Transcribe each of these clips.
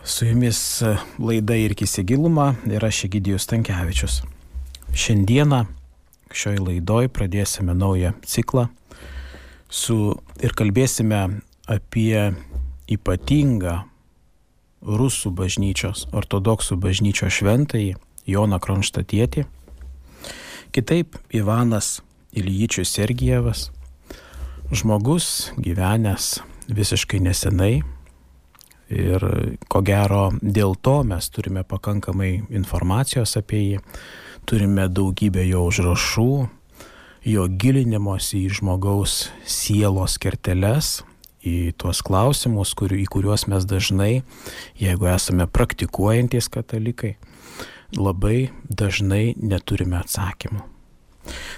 Su jumis laida Irkis į gilumą ir aš Egidijus Stankevičius. Šiandieną šioj laidoj pradėsime naują ciklą ir kalbėsime apie ypatingą rusų bažnyčios, ortodoksų bažnyčios šventąjį Joną Kronštatietį, kitaip Ivanas Iljičius Sergijevas, žmogus gyvenęs visiškai nesenai. Ir ko gero dėl to mes turime pakankamai informacijos apie jį, turime daugybę jo užrašų, jo gilinimosi į žmogaus sielos kerteles, į tuos klausimus, į kuriuos mes dažnai, jeigu esame praktikuojantys katalikai, labai dažnai neturime atsakymų.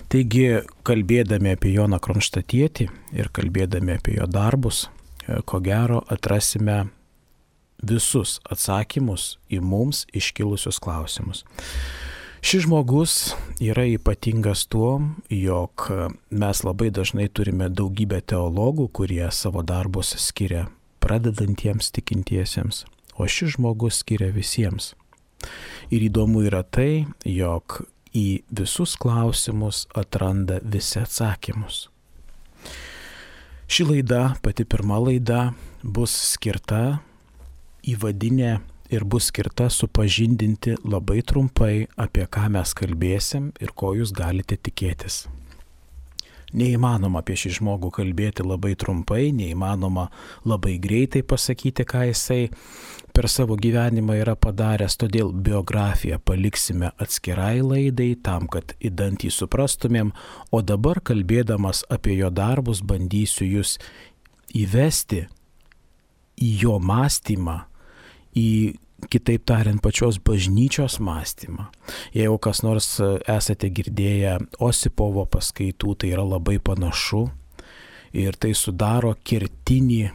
Taigi, kalbėdami apie Joną Kronštatietį ir kalbėdami apie jo darbus, ko gero atrasime visus atsakymus į mums iškilusius klausimus. Šis žmogus yra ypatingas tuo, jog mes labai dažnai turime daugybę teologų, kurie savo darbus skiria pradedantiems tikintiesiems, o šis žmogus skiria visiems. Ir įdomu yra tai, jog į visus klausimus atranda visi atsakymus. Ši laida, pati pirma laida, bus skirta įvadinė ir bus skirta supažindinti labai trumpai, apie ką mes kalbėsim ir ko jūs galite tikėtis. Neįmanoma apie šį žmogų kalbėti labai trumpai, neįmanoma labai greitai pasakyti, ką jisai per savo gyvenimą yra padaręs, todėl biografiją paliksime atskirai laidai, tam, kad įdant jį suprastumėm, o dabar kalbėdamas apie jo darbus bandysiu jūs įvesti į jo mąstymą, į, kitaip tariant, pačios bažnyčios mąstymą. Jeigu kas nors esate girdėję Osipovo paskaitų, tai yra labai panašu ir tai sudaro kertinį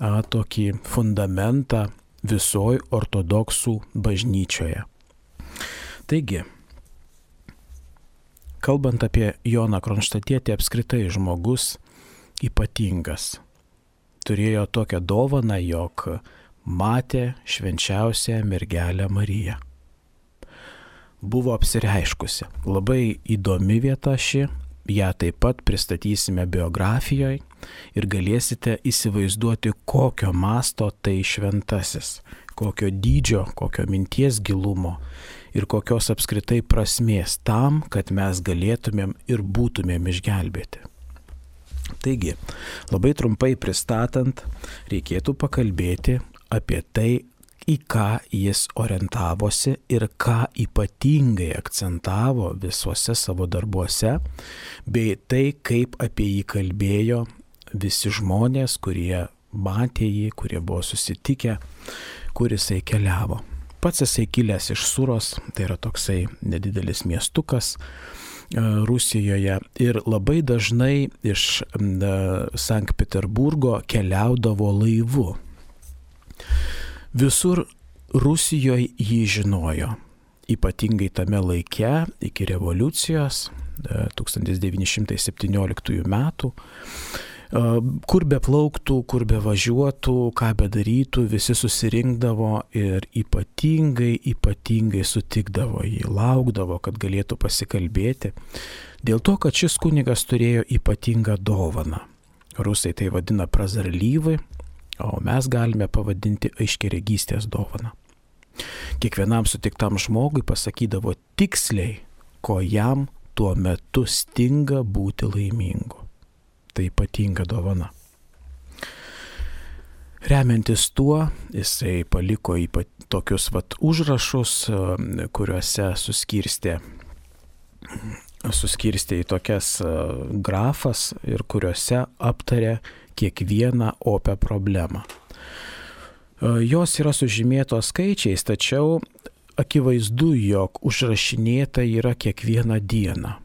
tokį fundamentą visoj ortodoksų bažnyčioje. Taigi, kalbant apie Joną Kronštatietį, apskritai žmogus ypatingas. Turėjo tokią dovaną, jog matė švenčiausią mergelę Mariją. Buvo apsireiškusi. Labai įdomi vieta ši, ją taip pat pristatysime biografijoje ir galėsite įsivaizduoti, kokio masto tai šventasis, kokio dydžio, kokio minties gilumo ir kokios apskritai prasmės tam, kad mes galėtumėm ir būtumėm išgelbėti. Taigi, labai trumpai pristatant, reikėtų pakalbėti apie tai, į ką jis orientavosi ir ką ypatingai akcentavo visuose savo darbuose, bei tai, kaip apie jį kalbėjo visi žmonės, kurie matė jį, kurie buvo susitikę, kur jisai keliavo. Pats jisai kilęs iš Suros, tai yra toksai nedidelis miestukas Rusijoje, ir labai dažnai iš Sankt Peterburgo keliaudavo laivu. Visur Rusijoje jį žinojo, ypatingai tame laike iki revoliucijos 1917 metų, kur be plauktų, kur be važiuotų, ką bedarytų, visi susirinkdavo ir ypatingai sutikdavo jį, laukdavo, kad galėtų pasikalbėti, dėl to, kad šis kunigas turėjo ypatingą dovaną. Rusai tai vadina prazarlyvai, o mes galime pavadinti aiškiaregystės dovaną. Kiekvienam sutiktam žmogui pasakydavo tiksliai, ko jam tuo metu stinga būti laimingu. Tai ypatinga dovana. Remiantis tuo, jisai paliko tokius užrašus, kuriuose suskirstė į tokias grafas ir kuriuose aptarė kiekvieną opę problemą. Jos yra sužymėtos skaičiais, tačiau akivaizdu, jog užrašinėta yra kiekvieną dieną.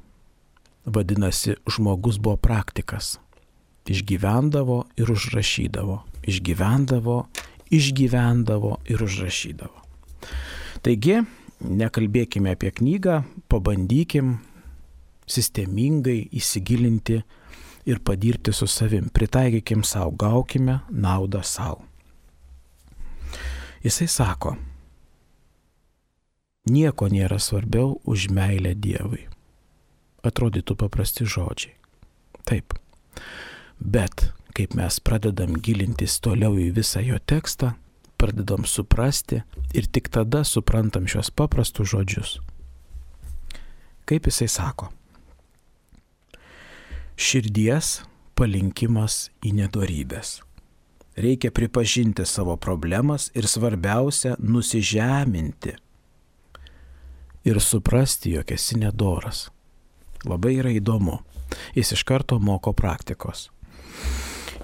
Vadinasi, žmogus buvo praktikas. Išgyvendavo ir užrašydavo. Išgyvendavo ir užrašydavo. Taigi, nekalbėkime apie knygą, pabandykim sistemingai įsigilinti ir padirbti su savim. Pritaikykim savo, gaukime naudą savo. Jisai sako, nieko nėra svarbiau už meilę Dievui. Atrodytų paprasti žodžiai. Taip. Bet kaip mes pradedam gilintis toliau į visą jo tekstą, pradedam suprasti ir tik tada suprantam šios paprastus žodžius. Kaip jisai sako? Širdies palinkimas į nedorybės. Reikia pripažinti savo problemas ir svarbiausia nusižeminti ir suprasti, jog esi nedoras. Labai yra įdomu. Jis iš karto moko praktikos.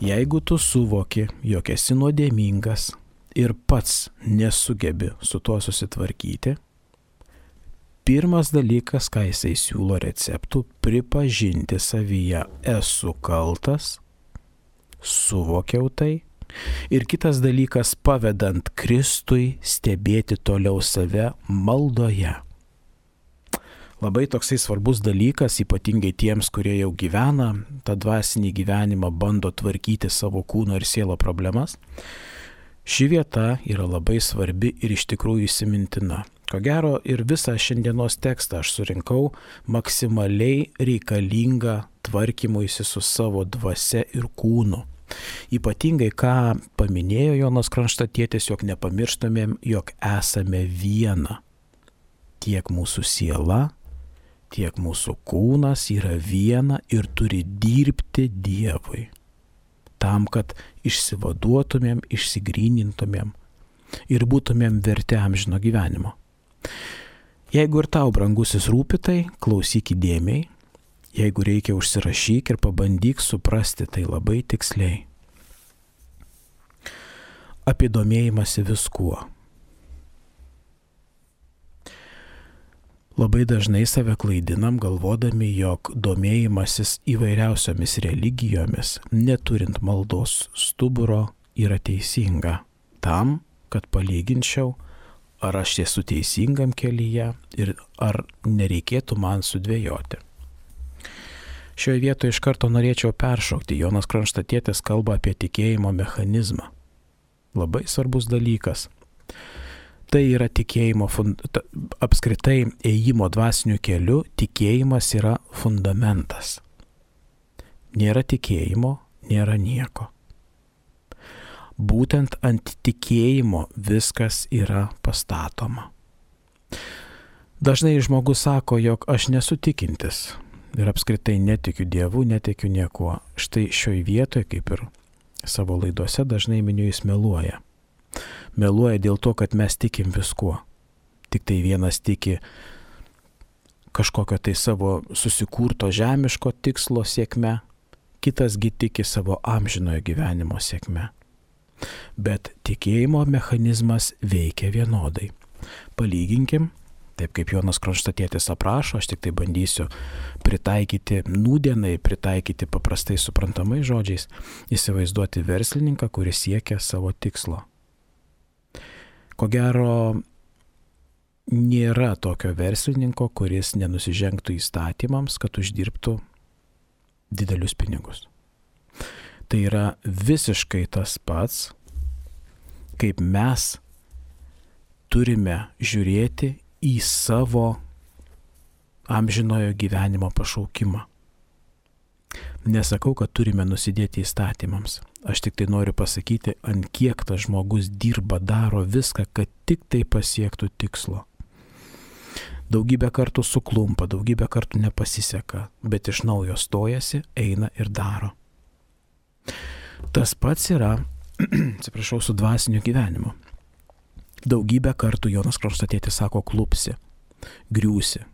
Jeigu tu suvoki, jog esi nuodėmingas ir pats nesugebi su tuo susitvarkyti, pirmas dalykas, ką jisai siūlo receptų, pripažinti savyje, esu kaltas, suvokiau tai. Ir kitas dalykas, pavedant Kristui stebėti toliau save maldoje. Labai toksai svarbus dalykas, ypatingai tiems, kurie jau gyvena tą dvasinį gyvenimą, bando tvarkyti savo kūno ir sielo problemas. Ši vieta yra labai svarbi ir iš tikrųjų įsimintina. Ko gero ir visą šiandienos tekstą aš surinkau maksimaliai reikalingą tvarkymuisi su savo dvasia ir kūnu. Ypatingai, ką paminėjo Jonas Kronštatietis, jog nepamirštamėm, jog esame viena. Tiek mūsų siela, tiek mūsų kūnas yra viena ir turi dirbti Dievui. Tam, kad išsivaduotumėm, išsigrynintumėm ir būtumėm verti amžino gyvenimo. Jeigu ir tau, brangusis, rūpi tai, klausyk įdėmiai. Jeigu reikia, užsirašyk ir pabandyk suprasti tai labai tiksliai. Apie domėjimąsi viskuo. Labai dažnai save klaidinam, galvodami, jog domėjimasis įvairiausiomis religijomis, neturint maldos stuburo, yra teisinga. Tam, kad palyginčiau, ar aš esu teisingam kelyje ir ar nereikėtų man sudvejoti. Šioje vietoje iš karto norėčiau peršokti. Jonas Kronštatietis kalba apie tikėjimo mechanizmą. Labai svarbus dalykas. Tai yra tikėjimo, apskritai ėjimo dvasiniu keliu, tikėjimas yra fundamentas. Nėra tikėjimo, nėra nieko. Būtent ant tikėjimo viskas yra pastatoma. Dažnai žmogus sako, jog aš nesu tikintis. Ir apskritai netikiu Dievu, netikiu niekuo. Štai šioj vietoje, kaip ir savo laidose, dažnai miniu, jis meluoja. Meluoja dėl to, kad mes tikim viskuo. Tik tai vienas tiki kažkokio tai savo susikurto žemiško tikslo sėkme, kitasgi tiki savo amžinojo gyvenimo sėkme. Bet tikėjimo mechanizmas veikia vienodai. Palyginkim. Taip kaip Jonas Kronštatietis aprašo, aš tik tai bandysiu pritaikyti nūdienai, pritaikyti paprastai suprantamai žodžiais, įsivaizduoti verslininką, kuris siekia savo tikslo. Ko gero, nėra tokio verslininko, kuris nenusižengtų įstatymams, kad uždirbtų didelius pinigus. Tai yra visiškai tas pats, kaip mes turime žiūrėti į savo amžinojo gyvenimo pašaukimą. Nesakau, kad turime nusidėti įstatymams. Aš tik tai noriu pasakyti, ant kiek tas žmogus dirba, daro viską, kad tik tai pasiektų tikslo. Daugybę kartų suklumpa, daugybę kartų nepasiseka, bet iš naujo stojasi, eina ir daro. Tas pats yra, su dvasiniu gyvenimu. Daugybę kartų Jonas Kronštatietis sako, klupsi, griūsi,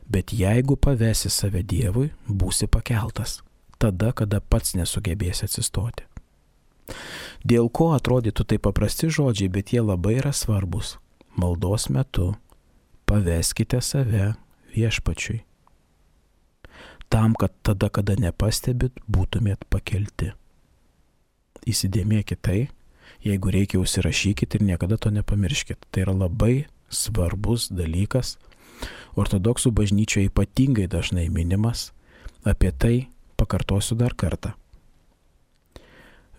bet jeigu pavesi save Dievui, būsi pakeltas, tada, kada pats nesugebėsi atsistoti. Dėl ko atrodytų tai paprasti žodžiai, bet jie labai yra svarbus. Maldos metu paveskite save Viešpačiui. Tam, kad tada, kada nepastebit, būtumėt pakelti. Įsidėmėkit tai. Jeigu reikia, užsirašykit ir niekada to nepamirškit. Tai yra labai svarbus dalykas. Ortodoksų bažnyčioje ypatingai dažnai minimas. Apie tai pakartosiu dar kartą.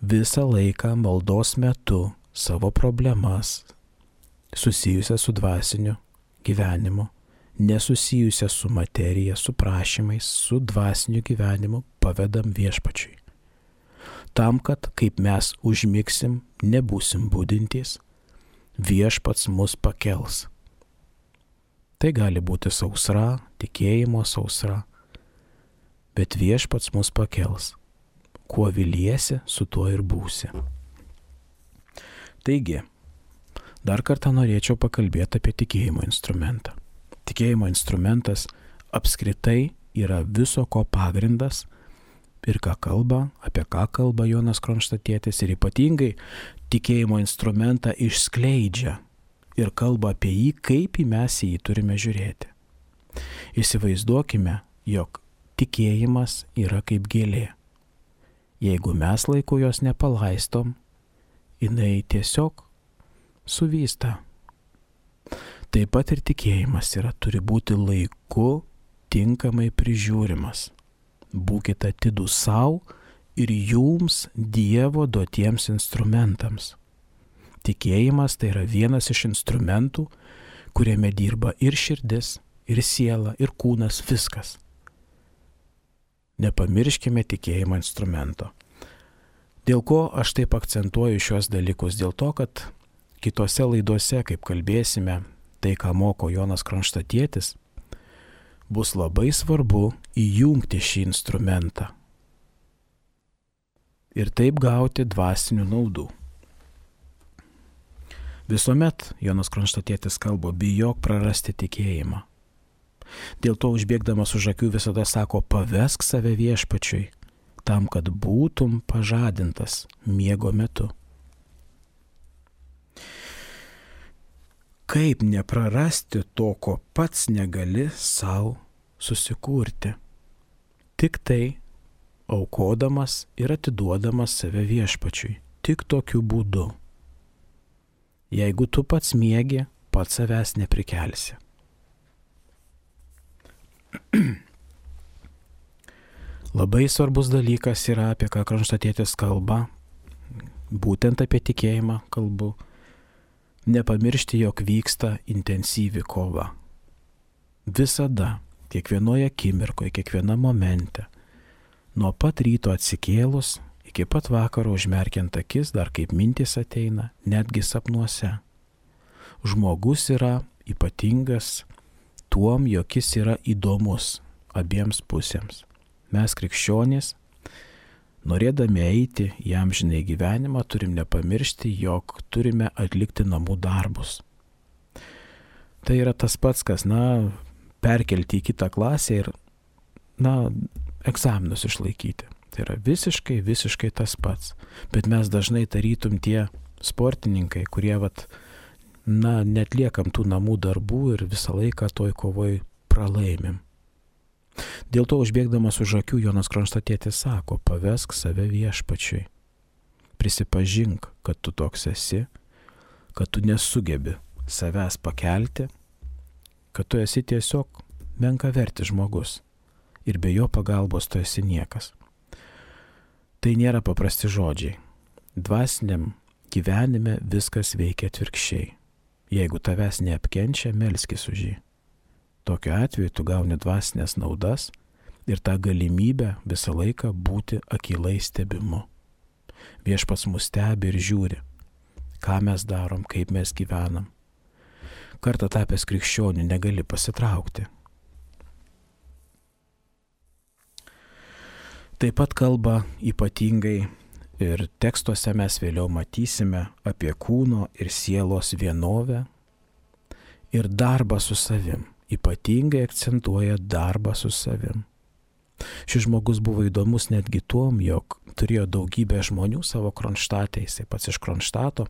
Visą laiką maldos metu savo problemas, susijusią su dvasiniu gyvenimu, nesusijusią su materija, su prašymais, su dvasiniu gyvenimu pavedam viešpačiui. Tam, kad kaip mes užmigsim, nebūsim budintys, viešpats mus pakels. Tai gali būti sausra, tikėjimo sausra, bet viešpats mus pakels. Kuo viliesi, su tuo ir būsi. Taigi, dar kartą norėčiau pakalbėti apie tikėjimo instrumentą. Tikėjimo instrumentas apskritai yra viso ko pagrindas ir apie ką kalba Jonas Kronštatietis, ir ypatingai tikėjimo instrumentą išskleidžia ir kalba apie jį, kaip mes į jį turime žiūrėti. Įsivaizduokime, jog tikėjimas yra kaip gėlė. Jeigu mes laiku jos nepalaistom, jinai tiesiog suvysta. Taip pat ir tikėjimas turi būti laiku tinkamai prižiūrimas. Būkite atidūs savo ir jums Dievo duotiems instrumentams. Tikėjimas tai yra vienas iš instrumentų, kuriame dirba ir širdis, ir siela, ir kūnas, viskas. Nepamirškime tikėjimo instrumento. Dėl ko aš taip akcentuoju šios dalykus? Dėl to, kad kitose laidose, kaip kalbėsime, tai, ką moko Jonas Kronštatietis, bus labai svarbu įjungti šį instrumentą ir taip gauti dvasinių naudų. Visuomet Jonas Kronštatietis kalba, bijok prarasti tikėjimą. Dėl to užbėgdamas už akių visada sako, pavesk save viešpačiui, tam, kad būtum pažadintas miego metu. Kaip neprarasti to, ko pats negali savo susikurti? Tik tai aukodamas ir atiduodamas save viešpačiui. Tik tokiu būdu. Jeigu tu pats miegi, pats savęs neprikelsi. Labai svarbus dalykas yra, apie ką Kronštatietis kalba, būtent apie tikėjimą kalbu. Nepamiršti, jog vyksta intensyvi kova. Visada, kiekvienoje akimirkoje, kiekviename momente, nuo pat ryto atsikėlus, iki pat vakaro užmerkiant akis, dar kaip mintis ateina, netgi sapnuose. Žmogus yra ypatingas tuom, jog jis yra įdomus abiems pusėms. Mes krikščionys, norėdami eiti į amžinąjį gyvenimą, turim nepamiršti, jog turime atlikti namų darbus. Tai yra tas pats, kas, perkelti į kitą klasę ir, egzaminus išlaikyti. Tai yra visiškai tas pats. Bet mes dažnai tarytum tie sportininkai, kurie, netliekam tų namų darbų ir visą laiką toj kovoj pralaimim. Dėl to užbėgdamas už akių Jonas Kronštatietis sako, pavesk save viešpačiui. Prisipažink, kad tu toks esi, kad tu nesugebi savęs pakelti, kad tu esi tiesiog menkavertis žmogus ir be jo pagalbos tu esi niekas. Tai nėra paprasti žodžiai. Dvasiniam gyvenime viskas veikia atvirkščiai. Jeigu tavęs neapkenčia, melskis už jį. Tokiu atveju tu gauni dvasinės naudas ir tą galimybę visą laiką būti akylai stebimu. Viešpats mus stebi ir žiūri, ką mes darom, kaip mes gyvenam. Kartą tapęs krikščioniu negali pasitraukti. Taip pat kalba ypatingai ir tekstuose mes vėliau matysime apie kūno ir sielos vienovę ir darbą su savim. Ypatingai akcentuoja darbą su savim. Šis žmogus buvo įdomus netgi tuom, jog turėjo daugybę žmonių savo Kronštate, jisai pats iš Kronštato.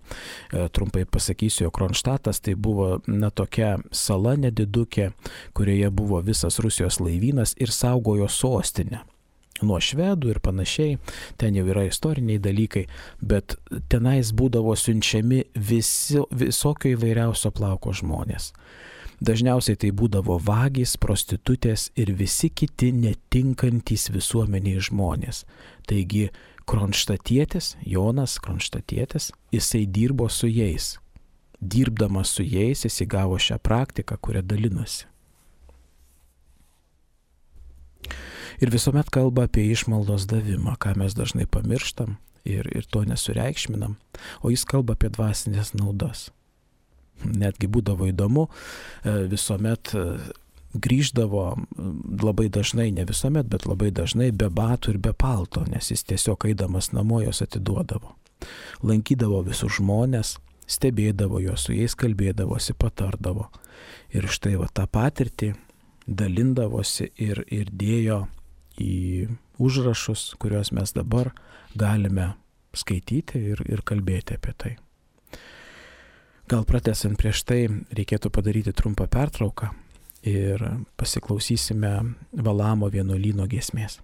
Trumpai pasakysiu, jog Kronštatas tai buvo tokia sala nedidukė, kurioje buvo visas Rusijos laivynas ir saugojo sostinę. Nuo švedų ir panašiai, ten jau yra istoriniai dalykai, bet tenais būdavo siunčiami visokio įvairiausio plauko žmonės. Dažniausiai tai būdavo vagys, prostitutės ir visi kiti netinkantys visuomeniai žmonės. Taigi Kronštatietis, Jonas Kronštatietis, jisai dirbo su jais. dirbdamas su jais, jis įgavo šią praktiką, kurią dalinasi. Ir visuomet kalba apie išmaldos davimą, ką mes dažnai pamirštam ir to nesureikšminam, o jis kalba apie dvasinės naudas. Netgi būdavo įdomu, visuomet grįždavo labai dažnai, ne visuomet, bet labai dažnai be batų ir be palto, nes jis tiesiog eidamas namo jos atiduodavo. Lankydavo visus žmonės, stebėdavo juos, su jais kalbėdavosi, patardavo. Ir štai tą patirtį dalindavosi ir dėjo į užrašus, kuriuos mes dabar galime skaityti ir kalbėti apie tai. Gal pratęsant prieš tai reikėtų padaryti trumpą pertrauką ir pasiklausysime Valamo vienuolyno giesmės.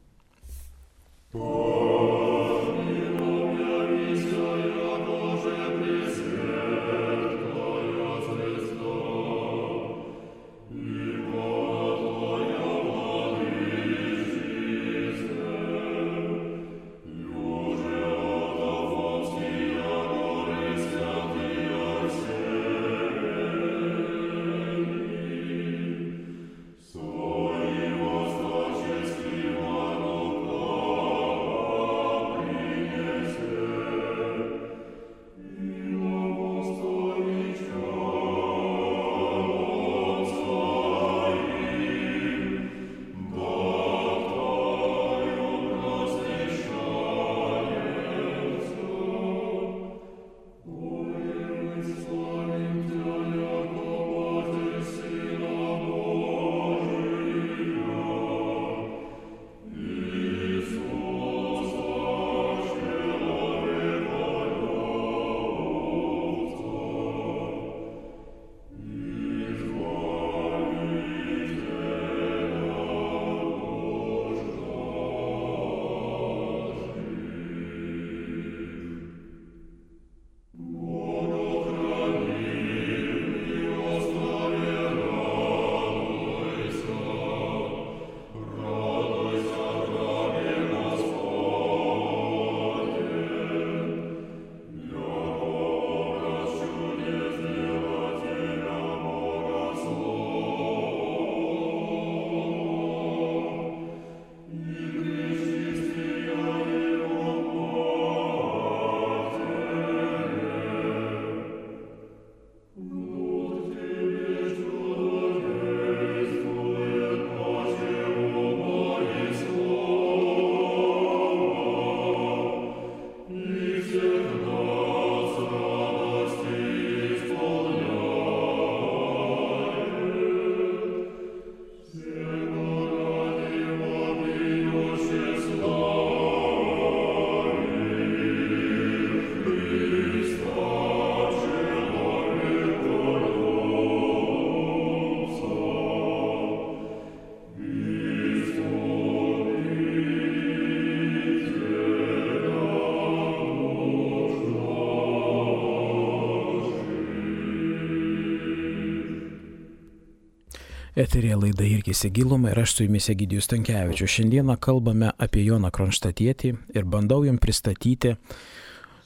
Eterėje laida Irkis į gilumą ir aš su jumis Egidijus Stankevičius. Šiandieną kalbame apie Joną Kronštatietį ir bandau jums pristatyti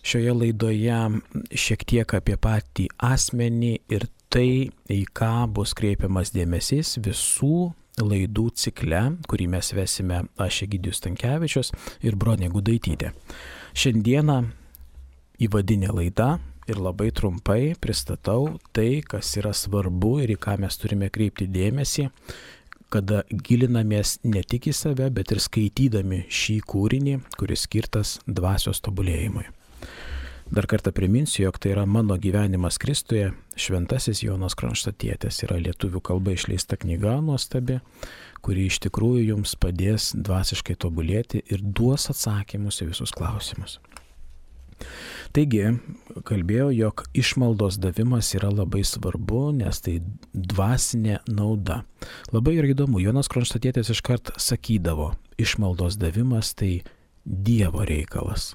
šioje laidoje šiek tiek apie patį asmenį ir tai, į ką bus kreipiamas dėmesys visų laidų cikle, kurį mes vesime aš Egidijus Stankevičius ir Bronė Gudaitytė. Šiandieną įvadinė laida. Ir labai trumpai pristatau tai, kas yra svarbu ir į ką mes turime kreipti dėmesį, kada gilinamės ne tik į save, bet ir skaitydami šį kūrinį, kuris skirtas dvasios tobulėjimui. Dar kartą priminsiu, jog tai yra Mano gyvenimas Kristuje, šventasis Jonas Kronštatietis. Yra lietuvių kalba išleista knyga nuostabi, kuri iš tikrųjų jums padės dvasiškai tobulėti ir duos atsakymus į visus klausimus. Taigi, kalbėjau, jog išmaldos davimas yra labai svarbu, nes tai dvasinė nauda. Labai yra įdomu, Jonas Kronštatietis iškart sakydavo, išmaldos davimas tai Dievo reikalas,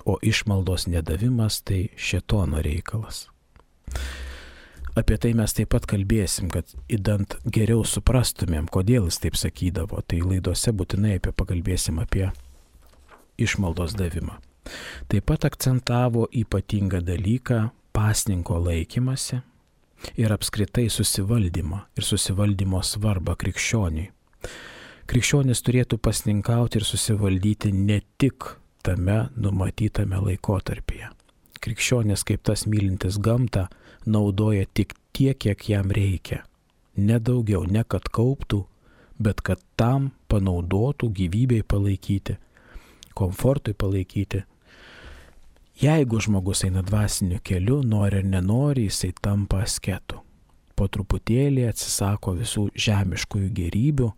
o išmaldos nedavimas tai šėtono reikalas. Apie tai mes taip pat kalbėsim, kad idant geriau suprastumėm, kodėl jis taip sakydavo, tai laidose būtinai pakalbėsim apie išmaldos davimą. Taip pat akcentavo ypatingą dalyką pasninko laikymasi ir apskritai susivaldymą ir susivaldymo svarbą krikščioniui. Krikščionis turėtų pasninkauti ir susivaldyti ne tik tame numatytame laikotarpyje. Krikščionis kaip tas mylintis gamtą naudoja tik tiek, kiek jam reikia. Ne daugiau, ne kad kauptų, bet kad tam panaudotų gyvybei palaikyti, komfortui palaikyti. Jeigu žmogus eina dvasiniu keliu, nori ar nenori, jisai tampa asketu. Po truputėlį atsisako visų žemiškųjų gėrybių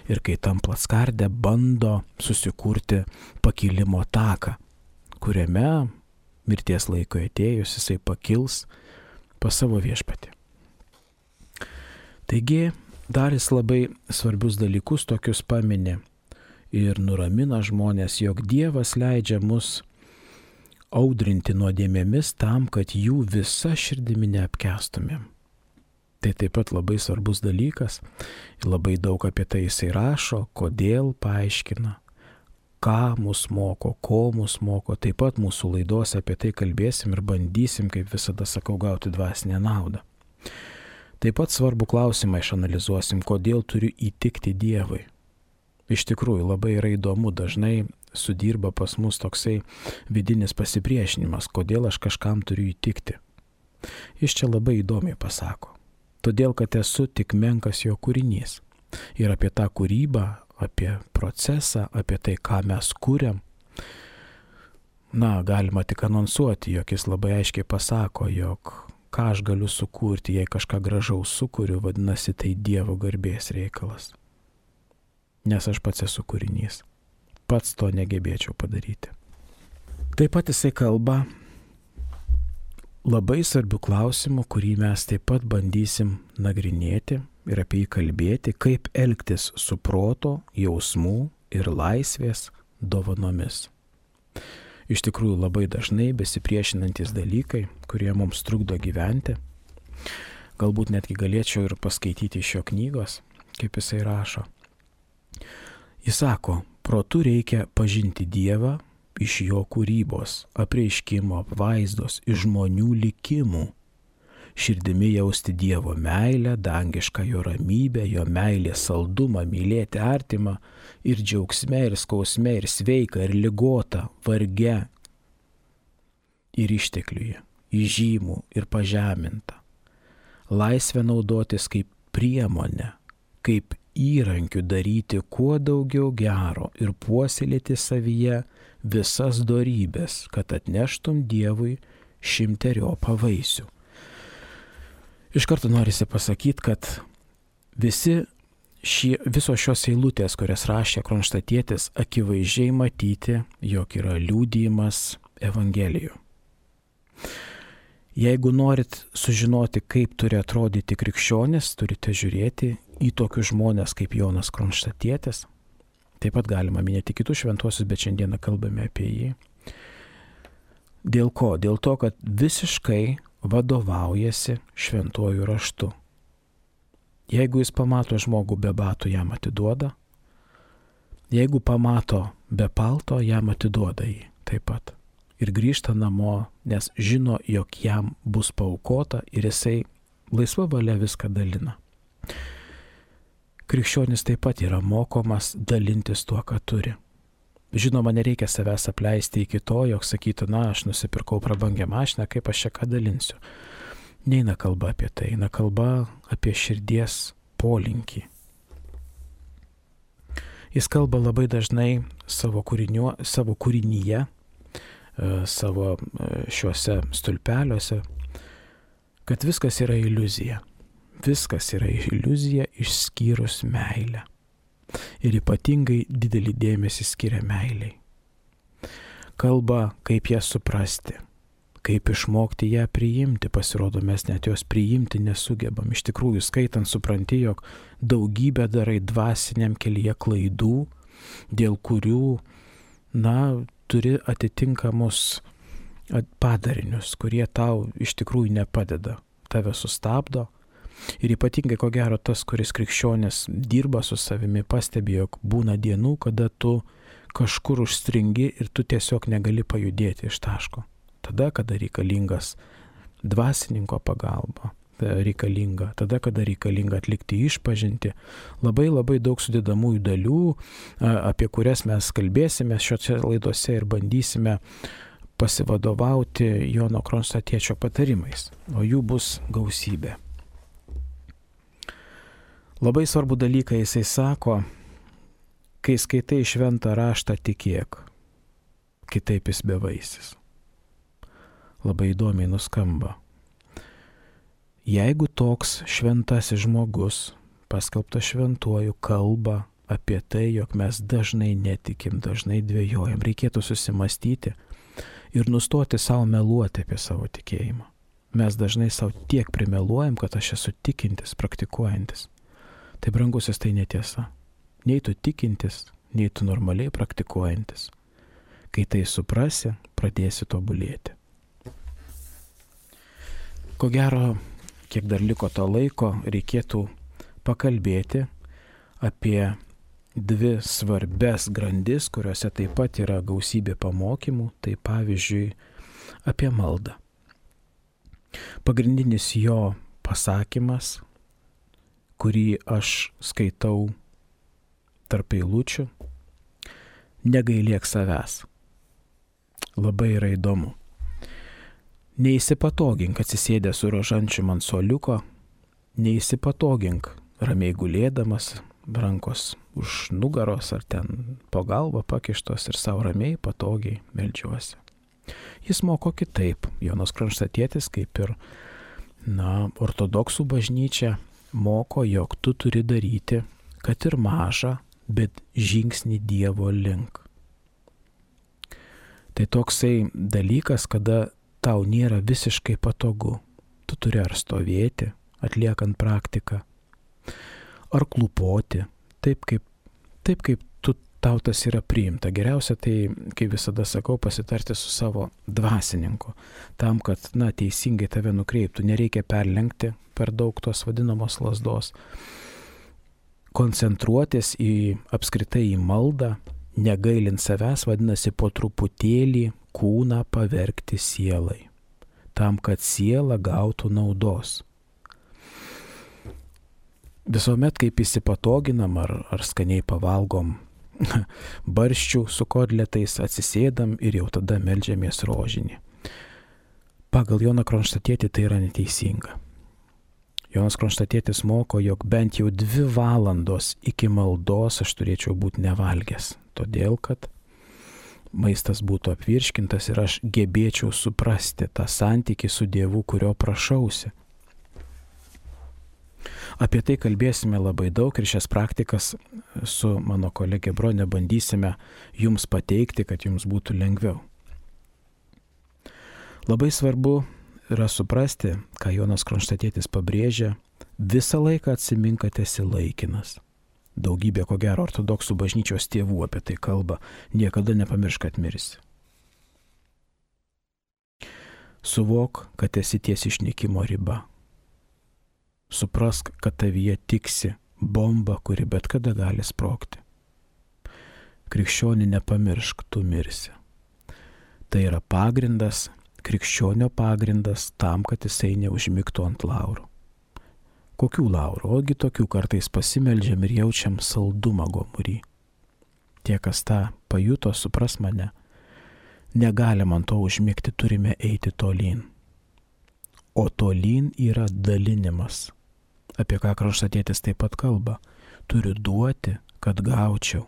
ir kai tampa skardę, bando susikurti pakilimo taką, kuriame mirties laiko atėjus jisai pakils pas savo viešpatį. Taigi, dar jis labai svarbius dalykus tokius pamini ir nuramina žmonės, jog Dievas leidžia mus audrinti nuodėmėmis tam, kad jų visa širdimi neapkęstumėm. Tai taip pat labai svarbus dalykas, labai daug apie tai jisai rašo, kodėl paaiškina, ką mus moko, ko mus moko. Taip pat mūsų laidose apie tai kalbėsim ir bandysim, kaip visada sakau, gauti dvasinę naudą. Taip pat svarbų klausimą išanalizuosim, kodėl turiu įtikti Dievui. Iš tikrųjų, labai yra įdomu, dažnai sudirba pas mus toksai vidinis pasipriešinimas, kodėl aš kažkam turiu įtikti. Jis čia labai įdomiai pasako. Todėl, kad esu tik menkas jo kūrinys. Ir apie tą kūrybą, apie procesą, apie tai, ką mes kūrėm, galima tik anonsuoti, jog jis labai aiškiai pasako, jog ką aš galiu sukurti, jei kažką gražaus sukuriu, vadinasi, tai Dievo garbės reikalas. Nes aš pats esu kūrinys. Pats to negebėčiau padaryti. Taip pat jisai kalba labai svarbių klausimų, kurį mes taip pat bandysim nagrinėti ir apie jį kalbėti, kaip elgtis su proto, jausmų ir laisvės dovanomis. Iš tikrųjų labai dažnai besipriešinantis dalykai, kurie mums trukdo gyventi. Galbūt netgi galėčiau ir paskaityti iš jo knygos, kaip jisai rašo. Jis sako, protu reikia pažinti Dievą iš jo kūrybos, apreiškimo, apvaizdos, iš žmonių likimų. Širdimi jausti Dievo meilę, dangišką jo ramybę, jo meilės saldumą, mylėti artimą ir džiaugsme, ir skausme, ir sveika, ir ligota, varge, ir ištekliuje, įžymų ir pažeminta. Laisvę naudotis kaip priemonę, kaip įrankių daryti kuo daugiau gero ir puoselėti savyje visas dorybės, kad atneštum Dievui 100 vaisių. Iš karto norisi pasakyti, kad visos šios eilutės, kurias rašė Kronštatietis, akivaizdžiai matyti, jog yra liudijimas Evangelijų. Jeigu norit sužinoti, kaip turi atrodyti krikščionis, turite žiūrėti į tokius žmonės kaip Jonas Kronštatietis. Taip pat galima minėti kitus šventuosius, bet šiandieną kalbame apie jį. Dėl ko? Dėl to, kad visiškai vadovaujasi šventuoju raštu. Jeigu jis pamato žmogų be batų, jam atiduoda. Jeigu pamato be palto, jam atiduoda jį taip pat. Ir grįžta namo, nes žino, jog jam bus paaukota ir jisai laisva valia viską dalina. Krikščionis taip pat yra mokomas dalintis tuo, ką turi. Žinoma, nereikia savęs apleisti iki to, jog sakytų, aš nusipirkau prabangią mašiną, kaip aš čia ką dalinsiu. Neina kalba apie tai, eina kalba apie širdies polinkį. Jis kalba labai dažnai savo kūrinyje, savo šiuose stulpeliuose, kad viskas yra iliuzija. Viskas yra iliuzija išskyrus meilę. Ir ypatingai didelį dėmesį skiria meiliai. Kalba, kaip ją suprasti, kaip išmokti ją priimti. Pasirodo, mes net jos priimti nesugebam. Iš tikrųjų, skaitant, supranti, jog daugybę darai dvasiniam kelyje klaidų, dėl kurių, turi atitinkamus padarinius, kurie tau iš tikrųjų nepadeda, tave sustabdo. Ir ypatingai, ko gero, tas, kuris krikščionis dirba su savimi, pastebi, jog būna dienų, kada tu kažkur užstringi ir tu tiesiog negali pajudėti iš taško. Tada, kada reikalingas dvasininko pagalba reikalinga, tada, kada reikalinga atlikti išpažinti. Labai labai daug sudedamųjų dalių, apie kurias mes kalbėsime šiose laidose ir bandysime pasivadovauti Jono Kronstatiečio patarimais, o jų bus gausybė. Labai svarbu dalyką jisai sako, kai skaitai šventą raštą, tikėk, kitaip jis bevaisis. Labai įdomiai nuskamba. Jeigu toks šventasis žmogus, paskelbtas šventuoju, kalba apie tai, jog mes dažnai netikim, dažnai dvejojam, reikėtų susimastyti ir nustoti savo meluoti apie savo tikėjimą. Mes dažnai savo tiek primeluojam, kad aš esu tikintis, praktikuojantis. Tai, brangusis, tai netiesa. Nei tu tikintis, nei tu normaliai praktikuojantis. Kai tai suprasi, pradėsi tobulėti. Ko gero, kiek dar liko to laiko, reikėtų pakalbėti apie dvi svarbes grandis, kuriuose taip pat yra gausybė pamokymų, tai pavyzdžiui apie maldą. Pagrindinis jo pasakymas, kurį aš skaitau tarp eilučių, negailėk savęs. Labai yra įdomu. Neįsipatogink atsisėdęs su rožančium ant suoliuko, neįsipatogink ramiai gulėdamas, rankos už nugaros ar ten po galvą pakištos ir savo ramiai patogiai meldžiuosi. Jis moko kitaip. Jonas Kronštatietis, kaip ir ortodoksų bažnyčia, moko, jog tu turi daryti, kad ir mažą, bet žingsnį Dievo link. Tai toksai dalykas, kada tau nėra visiškai patogu. Tu turi ar stovėti, atliekant praktiką, ar klūpoti, taip kaip tau tas yra priimta. Geriausia tai, kaip visada sakau, pasitarti su savo dvasininku, tam, kad teisingai tave nukreiptų. Nereikia perlenkti per daug tos vadinamos lazdos. Koncentruotis apskritai į maldą, negailint savęs, vadinasi po truputėlį kūną pavergti sielai, tam, kad siela gautų naudos. Visuomet, kaip įsipatoginam ar skaniai pavalgom barščių su kotletais, atsisėdam ir jau tada meldžiamės rožinį. Pagal Joną Kronštatietį tai yra neteisinga. Jonas Kronštatietis moko, jog bent jau 2 valandos iki maldos aš turėčiau būti nevalgęs, todėl kad maistas būtų apvirškintas ir aš gebėčiau suprasti tą santykį su Dievu, kurio prašausi. Apie tai kalbėsime labai daug ir šias praktikas su mano kolegė Bronė bandysime jums pateikti, kad jums būtų lengviau. Labai svarbu yra suprasti, ką Jonas Kronštatietis pabrėžia, visą laiką atsimink, kad esi laikinas. Daugybė, ko gero, ortodoksų bažnyčios tėvų apie tai kalba, niekada nepamiršk, kad mirsi. Suvok, kad esi ties išnykimo riba. Suprask, kad tavyje tiksi bomba, kuri bet kada gali sprogti. Krikščionį nepamiršk, tu mirsi. Tai yra pagrindas, krikščionio pagrindas tam, kad jisai neužmigtų ant laurų. Kokių laurų? Ogi tokių kartais pasimeldžiam ir jaučiam saldumą gomurį. Tie, kas tą pajuto, supras mane. Negalim ant to užmigti, turime eiti tolyn. O tolyn yra dalinimas, apie ką Kronštatietis taip pat kalba. Turiu duoti, kad gaučiau.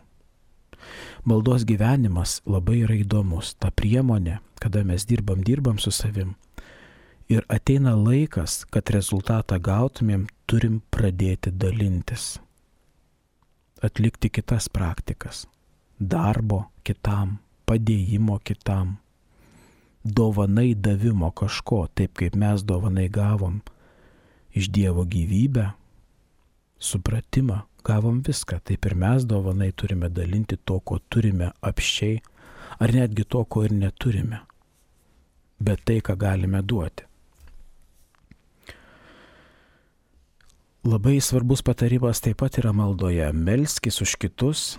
Maldos gyvenimas labai yra įdomus. Ta priemonė, kada mes dirbam su savim. Ir ateina laikas, kad rezultatą gautumėm, turim pradėti dalintis. Atlikti kitas praktikas. Darbo kitam, padėjimo kitam. Dovanai davimo kažko, taip kaip mes dovanai gavom iš Dievo gyvybę, supratimą, gavom viską. Taip ir mes dovanai turime dalinti to, ko turime apsčiai, ar netgi to, ko ir neturime. Bet tai, ką galime duoti. Labai svarbus patarimas taip pat yra maldoje. Melskis už kitus,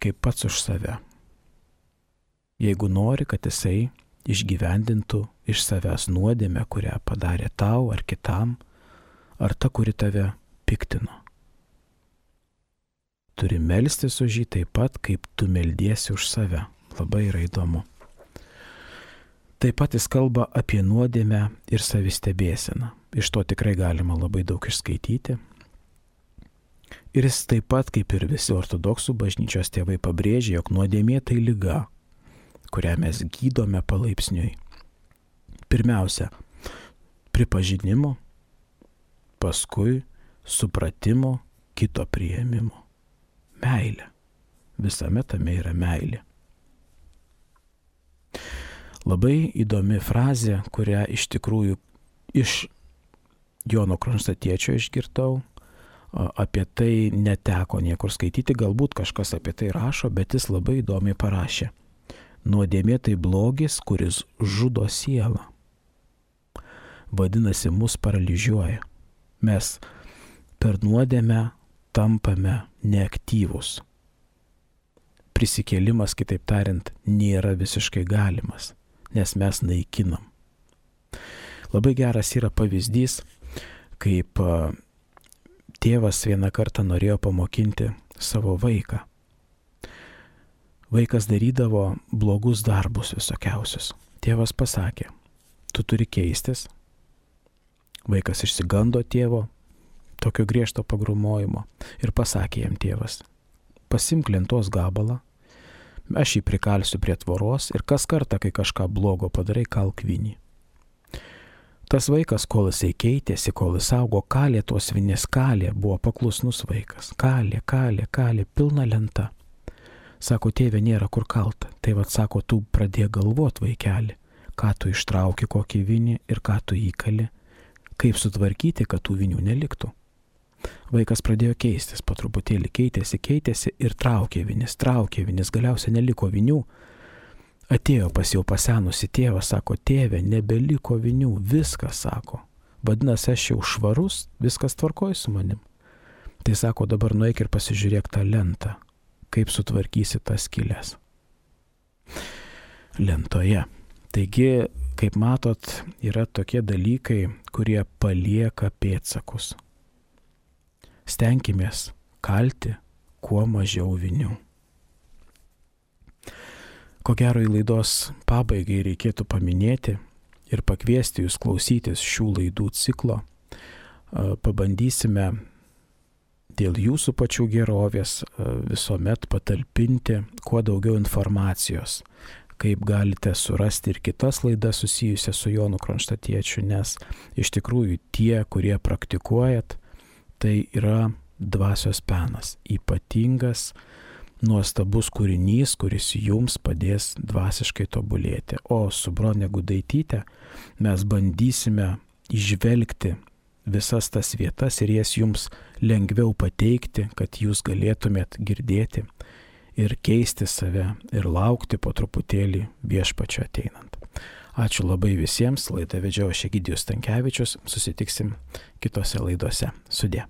kaip pats už save. Jeigu nori, kad jisai išgyvendintų iš savęs nuodėmę, kurią padarė tau ar kitam, ar ta, kuri tave piktino. Turi melstis už jį taip pat, kaip tu meldiesi už save. Labai yra įdomu. Taip pat jis kalba apie nuodėmę ir savistebėseną. Iš to tikrai galima labai daug išskaityti. Ir jis taip pat, kaip ir visi ortodoksų bažnyčios tėvai, pabrėžia, jog nuodėmė tai liga, kurią mes gydome palaipsniui. Pirmiausia, pripažinimo, paskui supratimo, kito priėmimo. Meilė. Visame tame yra meilė. Labai įdomi frazė, kurią iš tikrųjų iš Jono Kronstatiečio išgirdau. Apie tai neteko niekur skaityti, galbūt kažkas apie tai rašo, bet jis labai įdomiai parašė. Nuodėmė tai blogis, kuris žudo sielą. Vadinasi, mus paralyžiuoja. Mes per nuodėmę tampame neaktyvūs. Prisikėlimas, kitaip tariant, nėra visiškai galimas, nes mes naikinam. Labai geras yra pavyzdys, kaip tėvas vieną kartą norėjo pamokinti savo vaiką. Vaikas darydavo blogus darbus visokiausius. Tėvas pasakė, tu turi keistis. Vaikas išsigando tėvo, tokio griežto pagrūmojimo, ir pasakė jam tėvas, pasimk lentos gabalą, aš jį prikalsiu prie tvoros ir kas kartą, kai kažką blogo padarai, kalk vinį. Tas vaikas, kol jisai keitėsi, kol jis augo, kalė tos vinės, buvo paklusnus vaikas. Kalė, pilna lenta. Sako, tėve, nėra kur kalta. Tai vat sako, tu pradėk galvot, vaikeli, ką tu ištrauki kokį vinį ir ką tu įkali, kaip sutvarkyti, kad tų vinių neliktų. Vaikas pradėjo keistis, po truputėlį keitėsi ir traukė vinis, galiausiai neliko vinių. Atėjo pas jau pasenusi tėvą, sako, tėve, nebeliko vinių, viskas, sako. Vadinasi, aš jau švarus, viskas tvarkoj su manim. Tai sako, dabar nueik ir pasižiūrėk tą lentą, kaip sutvarkysi tas skylės. Lentoje. Taigi, kaip matot, yra tokie dalykai, kurie palieka pėdsakus. Stenkimės kalti kuo mažiau vinių. Ko gero į laidos pabaigai reikėtų paminėti ir pakviesti jūs klausytis šių laidų ciklo. Pabandysime dėl jūsų pačių gerovės visuomet patalpinti kuo daugiau informacijos, kaip galite surasti ir kitas laidas susijusias su Jonu Kronštatiečiu, nes iš tikrųjų tie, kurie praktikuojat, tai yra dvasios penas, ypatingas, nuostabus kūrinys, kuris jums padės dvasiškai tobulėti. O su Bronė Gudaityte mes bandysime įžvelgti visas tas vietas ir jas jums lengviau pateikti, kad jūs galėtumėt girdėti ir keisti save ir laukti po truputėlį Viešpačio ateinant. Ačiū labai visiems, laidą vedžiau aš Egidijus Stankevičius, susitiksim kitose laidose. Sudie.